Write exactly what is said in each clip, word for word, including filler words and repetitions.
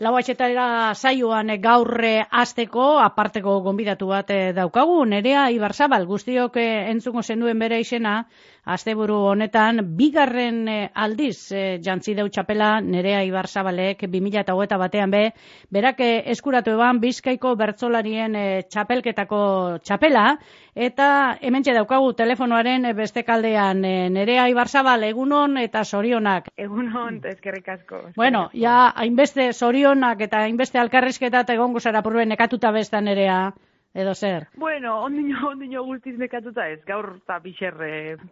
lau atxetara saioan gaur hasteko aparteko gonbidatu bat daukagu, Nerea Ibarzabal, guztiok entzungo zenduen bere izena, asteburu honetan, bigarren aldiz jantzi deu txapela Nerea Ibarzabalek bi mila hogeita batean be, berak eskuratu eban Bizkaiko bertsolarien txapelketako txapela, eta hementxe daukagu telefonoaren beste kaldean. Nerea Ibarzabal, egunon eta zorionak. Egunon, eskerrik asko. Bueno, ja, hainbeste zorionak eta hainbeste alkarrizketa eta egongo zara purbe nekatuta besta, Nerea, edo zer? Bueno, ondino, ondino guztiz nekatuta ez, gaur eta bixer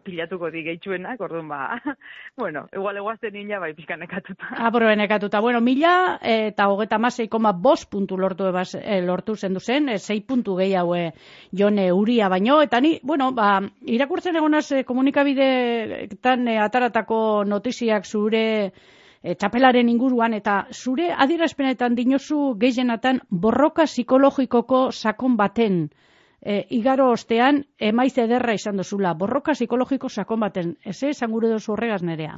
pilatuko di gehitxuenak, orduan ba, bueno, igual eguazten nina bai pixka nekatuta. Ah, purbe nekatuta. Bueno, mila eta hogeta masei koma bost puntu lortu, ebaz, eh, lortu zendu zen, eh, sei puntu gehiago eh, jone uria baino, eta ni, bueno, ba, irakurtzen egonaz eh, komunikabideetan eh, ataratako notiziak zure E, txapelaren inguruan, eta zure adierazpenetan dinozu gehienatan borroka psikologikoko sakon baten e, igaro ostean emaiz ederra izan dozula. Borroka psikologiko sakon baten. Ez esan gure dozu horregaz, Nerea?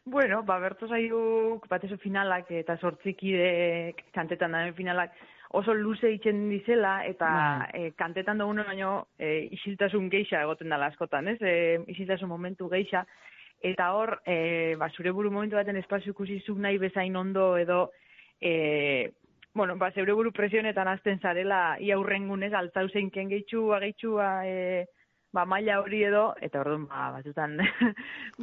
Bueno, ba, bertu zaiuk, batezo finalak eta sortzikidek kantetan daren finalak oso luze itzen dizela, eta e, kantetan dugun baino e, isiltasun geixa egoten dela askotan, ez? E, isiltasun momentu geixa. Eta hor, e, ba, zure buru momentu baten espazio ikusi zuk nahi bezain ondo edo, e, bueno, ba, zeure buru presionetan azten zarela, ia hurrengunez, altzau zeinken gehitxua, gehitxua, e, ba, maila hori edo, eta orduan, ba, batzutan,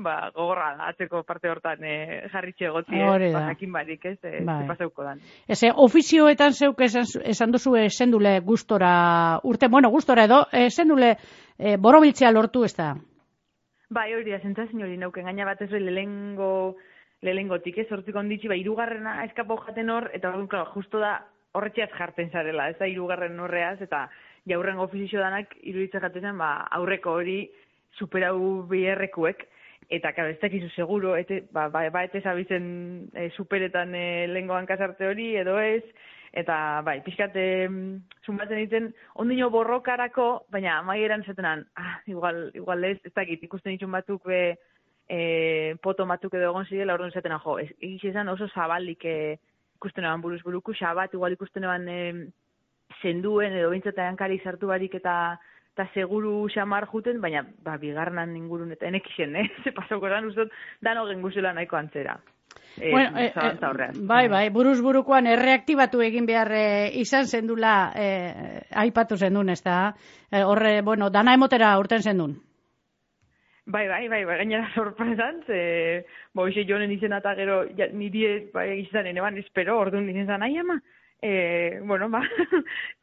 ba, gogorra atzeko parte hortan e, jarritxe egotzi, eh, ba, jakin barik, ez, e, bai. Zepaseuko dan. Eze, ofizioetan zeuk esan, esan duzu esendule gustora, urte, bueno, gustora edo, esendule e, borobiltzea lortu ez da? Bai, hori da, zentzazin hori neuken, gaina bat ez hori lehengo, lehengotik, ez, hortzik onditzi, ba, irugarrena eskapau jaten hor, eta hori, claro, justo da, horretxeaz jarten zarela, ez da, irugarren horreaz, eta jaurren ofizio danak, iruditzen jaten zen, ba, aurreko hori superau biherrekuek, eta, claro, ez dakizu seguro, ete, ba, ba, ba, ete zabizen e, superetan e, lehengo hankasarte hori, edo ez, eta, bai, pixkat, zumbatzen ditzen, ondino borrokarako, baina amaieran zetenan, ah, igual, igual ez, ez dakit, ikusten ditun batzuk be, e, poto batzuk edo egon zidela, orduan zetenan, jo, egiz izan oso zabalik e, ikusten eban buruz buruku, xabat, igual ikusten eban e, zenduen, edo bintzatea hankari sartu barik eta eta seguru xamar juten, baina, ba, bigarnan ingurun, eta enekixen, eh? Ze pasauko zan, ustot, dano genguzela nahiko antzera. Eh, bueno, eh, eh, bai, bai, buruz burukoan erreaktibatu egin behar eh, izan zendula eh, aipatu zendun, ez da? Eh, horre, bueno, dana emotera urten zendun. Bai, bai, bai, bai, gainera sorpresan, ze, bo, ise jonen izena eta gero, ja, niri, bai, izanen eban, espero, orduan izan zan, ai, ama, eh, bueno, ba,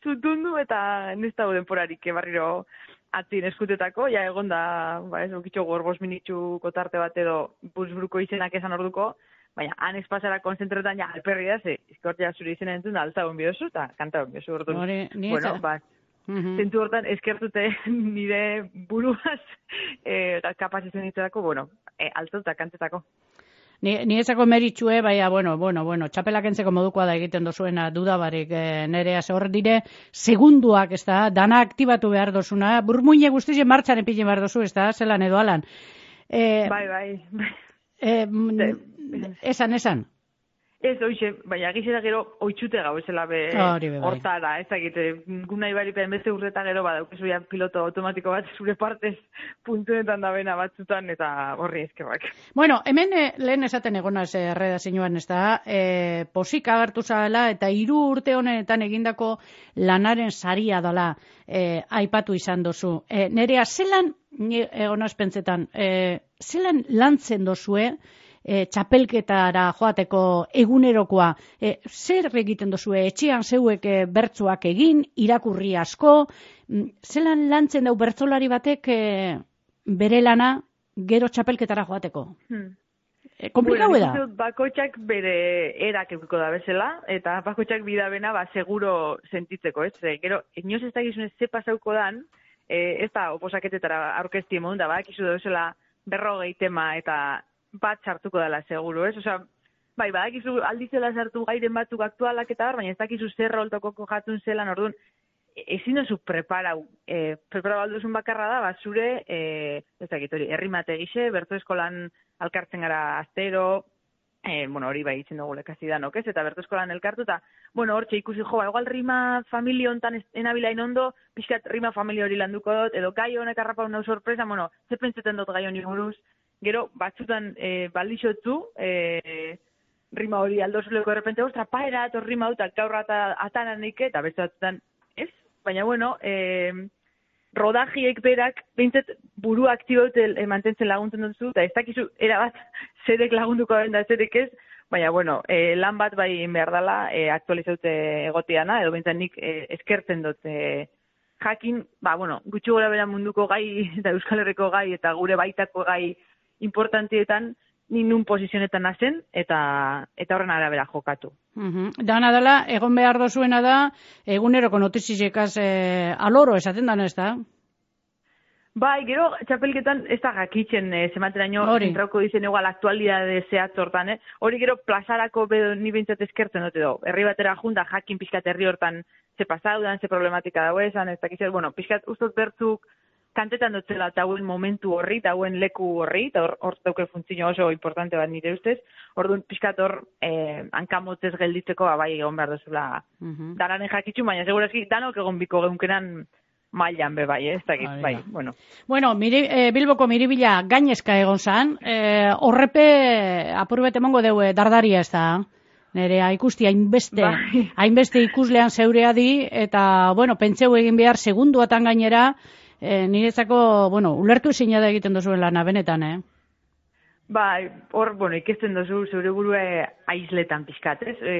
zutundu eta nesta denporarik, barriro atzin eskutetako, ja, egon da, ba, ez, okitxo gorbos minitxu kotarte bat edo buruzburuko izenak esan orduko, baina, han espazara konzentretan, ja, alperri da, ze, izkortia zure izena entzun, alta hon biozu, eta kanta hon biozu, orduan, bueno, ba, Uh-huh. Zentu hortan, eskertute nire buruaz eh, kapaz izan ditzerako, bueno, eh, alto eta kantetako. Ni, ni ezako meritxue, baina, bueno, bueno, bueno, txapelak entzeko modukoa da egiten dozuena dudabarik eh, nerea, hor dire, segunduak, ez da, dana aktibatu behar dozuna, burmuine guztizien martxan epilin behar dozu, ez da, zelan edo alan. Eh, bai, bai. Eh, esan, esan. Ez, oixe, baina gizera gero oitxute gau esela be hortara, ez dakite, guna ibaripen beste urreta gero badaukezu ja piloto automatiko bat zure partez puntuetan da bena batzutan eta horri ezkebak. Bueno, hemen eh, lehen esaten egonaz erreda eh, zinuan, ez da, eh, posik agertu zala eta hiru urte honetan egindako lanaren saria dela eh, aipatu izan dozu. Eh, nerea, zelan, egonaz pentsetan, eh, zelan lantzen dozue, E, txapelketara joateko egunerokoa, e, zer egiten dozue, etxean zeuek e, bertsoak egin, irakurri asko, zelan lantzen dau bertsolari batek e, bere lana gero txapelketara joateko? Hmm. E, komplikau bueno, da? Bakotxak bere erak euko da bezala, eta bakotxak bidabena ba, seguro sentitzeko, ez? E, gero, inoz ez da gizunez ze pasauko dan, e, ez da oposaketetara aurkezti emon da, ba, ekizu da bezala berrogei tema eta bat sartuko dela seguru, ez? Osea, bai, badakizu alditzela sartu gairen batzuk aktualak eta bar, baina ez dakizu zer roltoko jatun zelan, orduan, ezin dozu preparau. E, preparau alduzun bakarra da, bat zure, e, ez dakit hori, errimate gixe, bertu eskolan alkartzen gara astero, E, bueno, hori bai itzen dugu lekasi danok, ez? Eta bertu eskolan elkartu, eta, bueno, hortxe ikusi jo, ba, igual rima familia hontan enabilain ondo, pixkat rima familia hori landuko dut, edo gai honek harrapa unau sorpresa, bueno, ze pentseten dut gai honi buruz, gero, batzutan e, baldixotzu, e, rima hori aldozuleko errepente, ostra, paera, etor rima dut, gaur atanan neike, eta beste batzutan, ez? Baina, bueno, e, rodajiek berak, behintzat buru aktiboet e, mantentzen laguntzen duzu, eta ez dakizu, erabat, zerek lagunduko den da zerek ez, baina, bueno, e, lan bat bai behar dela e, aktualizaute egotiana, edo behintzat nik e, eskertzen dut e, jakin, ba, bueno, gutxi gora bera munduko gai, eta Euskal Herriko gai, eta gure baitako gai importantietan, ni nun posizionetan nazen, eta eta horren arabera jokatu. Uh-huh. Dana dela, egon behar dozuena da, eguneroko notizizekaz eh, aloro esaten dana ez da? Bai, gero, txapelketan ez da jakitzen e, zemateraino, zentrauko dizen igual aktualidade zehatz hortan, eh? Hori gero plazarako bedo ni behintzat eskertzen dute do. Herri batera junta jakin pixkat herri hortan ze pasaudan, ze problematika dago esan, ez dakitzen, bueno, pixkat ustot bertzuk kantetan dutzela eta hauen momentu horri, eta hauen leku horri, eta hor, hor dauke funtzio oso importante bat nire ustez, orduan pixkat hor eh, hankamotzez gelditzeko bai egon behar duzula uh-huh. Dananen jakitxu, baina segurazki danok egon biko geunkenan mailan be bai, eh? Ez dakit, bai, bueno. Bueno, miri, eh, Bilboko miribila gainezka egon zan, eh, horrepe apurbet emongo deu dardaria ez da? Nerea ikusti hainbeste, bai. hainbeste ikuslean zeurea di, eta, bueno, pentseu egin behar segunduatan gainera, E, niretzako, bueno, ulertu ezina da egiten duzuen lana, benetan, eh? Bai, hor, bueno, ikesten duzu zeure burue aizletan pixkat, ez? E,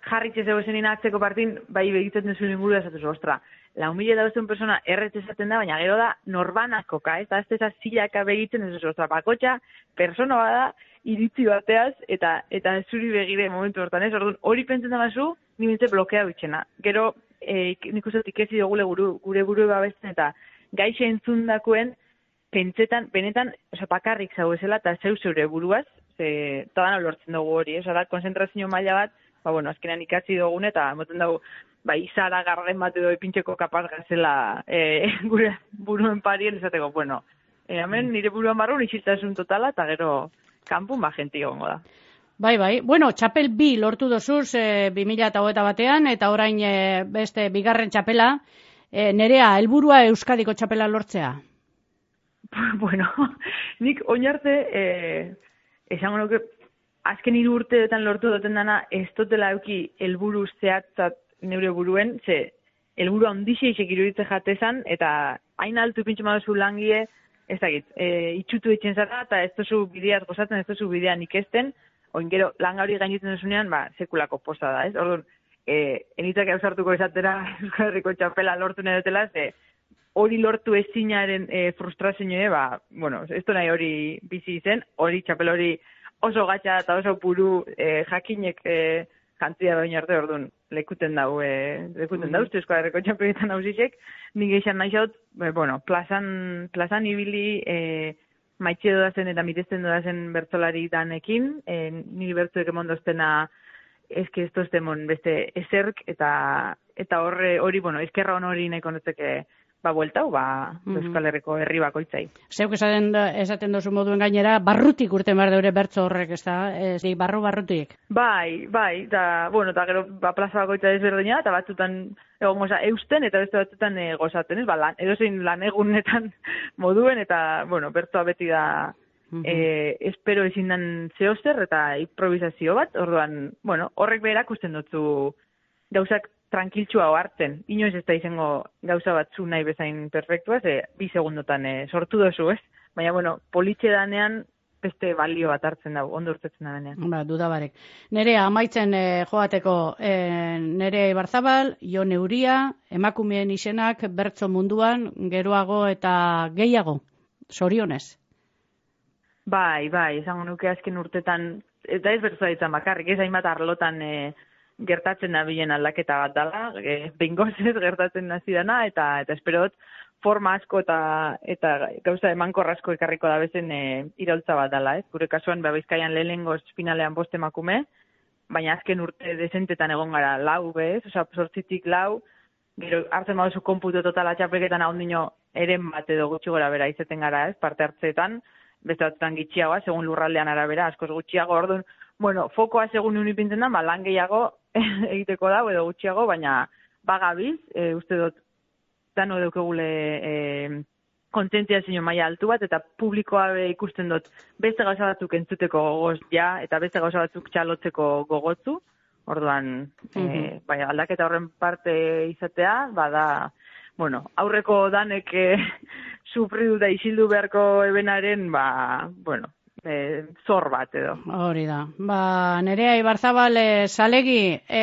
jarritxe zego zenin atzeko partin, bai egiten duzu inguru da zatuzu, ostra, lau mila da beste persona erretz esaten da, baina gero da norbanakoka, ez? Da, ez da zilaka begiten duzu, ostra, bakotxa, persona bada, iritzi bateaz, eta eta zuri begire momentu hortan, ez? Orduan, hori pentsen da bazu, nimintze blokea bitxena. Gero, e, nik uste ikezi dugule gure, gure buru babesten, eta gaixe entzundakoen, pentsetan, benetan, oza, bakarrik zauezela, eta zeu zeure buruaz, ze, tadan lortzen dugu hori, ez, da, konzentrazio maila bat, ba, bueno, azkenean ikatzi dugun, eta moten dugu, ba, izara garren bat edo epintxeko kapaz gazela e, gure buruen parien, esateko, bueno, e, hemen nire buruan barrun isiltasun totala, eta gero, kanpun ba, jenti gongo da. Bai, bai. Bueno, txapel bi lortu dozuz, e, bi mila hogeita batean, eta orain e, beste bigarren txapela, E, Nerea, helburua Euskadiko txapela lortzea? Bueno, nik oinarte, eh, esango nuke, azken hiru urteetan lortu duten dana, ez dutela euki helburu zehatzat neure buruen, ze helburu handixeixek iruditze jatezan, eta hain altu pintxo maduzu langie, ez dakit, e, itxutu etxen zara, eta ez duzu bideaz gozatzen, ez duzu bidean ikesten, oin gero langa hori gainitzen duzunean, ba, sekulako posa da, ez? Orduan, E, enitzak ausartuko esatera Euskal Herriko txapela lortu nahi dutela, ze hori lortu ezinaren e, frustrazioa, ba, bueno, ez du nahi hori bizi izen, hori txapela hori oso gatxa eta oso puru e, jakinek e, jantzia da arte, orduan, lekuten dau, e, lekuten dau, Euskal Herriko txapeletan hausisek, nik eixan nahi xaut, e, bueno, plazan, plazan ibili, e, maitxe dodazen eta mitezten dodazen bertzolari danekin, e, niri bertzuek emondoztena eske esto estemon beste eserk eta eta horre hori, bueno, eskerra hon hori nahiko notzeke ba bueltau, ba mm-hmm. Euskal Herriko herri bakoitzai. Zeuk esaten esaten dozu moduen gainera, barrutik urten behar deure bertzo horrek, ez da? Ez di, barru barrutik. Bai, bai, eta, bueno, eta gero, ba, plaza bakoitza desberdina, eta batzutan egon goza eusten, eta beste batzutan e, gozaten, ez? Ba, lan, edozein lan egunetan moduen, eta, bueno, bertzoa beti da Uh-huh. E, espero ezin dan zehozer eta improvisazio bat, orduan, bueno, horrek berak usten dutzu gauzak tranquiltxua hartzen. Inoiz ez da izango gauza bat zu nahi bezain perfektua, ze bi segundotan e, sortu dozu, ez? Baina, bueno, politxe danean beste balio bat hartzen dago, ondo urtetzen da denean. Ba, dudabarek. Nerea, amaitzen e, joateko, e, Nerea Ibarzabal, Jon Euria, emakumeen izenak, bertso munduan, geroago eta gehiago, zorionez. Bai, bai, izango nuke azken urtetan, eta ez bertzoa ditzen bakarrik, ez hainbat arlotan e, gertatzen da bilen aldaketa bat dela, e, bengozez gertatzen nazi dana, eta eta esperot forma asko eta eta gauza emankor asko ekarriko da bezen e, iraultza bat dela, ez? Gure kasuan, ba, Bizkaian lehenengoz finalean bost emakume, baina azken urte dezentetan egon gara lau, bez? Osa, sortzitik lau, gero hartzen baduzu konputu totala txapelketan hau nino eren bat edo gutxi gora bera izeten gara, ez? Parte hartzeetan, beste batzutan gitxiagoa, segun lurraldean arabera, askoz gutxiago, orduan, bueno, fokoa segun unipintzen da, ba, lan gehiago egiteko da, edo gutxiago, baina bagabiz, e, uste dut, dano deukegule e, kontzientziazio maila altu bat, eta publikoa be ikusten dut beste gauza batzuk entzuteko gogoz ja, eta beste gauza batzuk txalotzeko gogotzu, orduan, mm-hmm. e, bai, aldaketa horren parte izatea, bada, bueno, aurreko danek e, sufridu da isildu beharko ebenaren, ba, bueno, E, zor bat edo. Hori da. Ba, Nerea Ibarzabal e, salegi, e,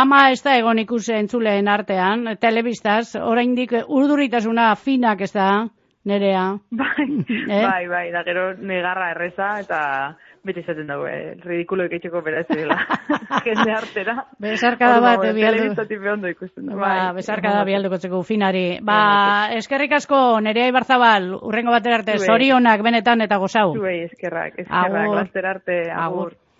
ama ez da egon ikusi entzuleen artean, telebistaz, oraindik urduritasuna finak ez da, Nerea. Bai, eh? bai, bai, da gero negarra erreza eta bete izaten dago, eh? Ridikulo iketxeko bera ez dela. Jende artera. Besarkada bat, no, bialdu. Telebistatik behondo ikusten da. Ba, bai, besarkada bialduko txeko finari. Ba, eskerrik asko, Nerea Ibarzabal, urrengo batera arte, zorionak benetan eta gozau. Zuei, eskerrak, eskerrak, laster arte, agur. agur.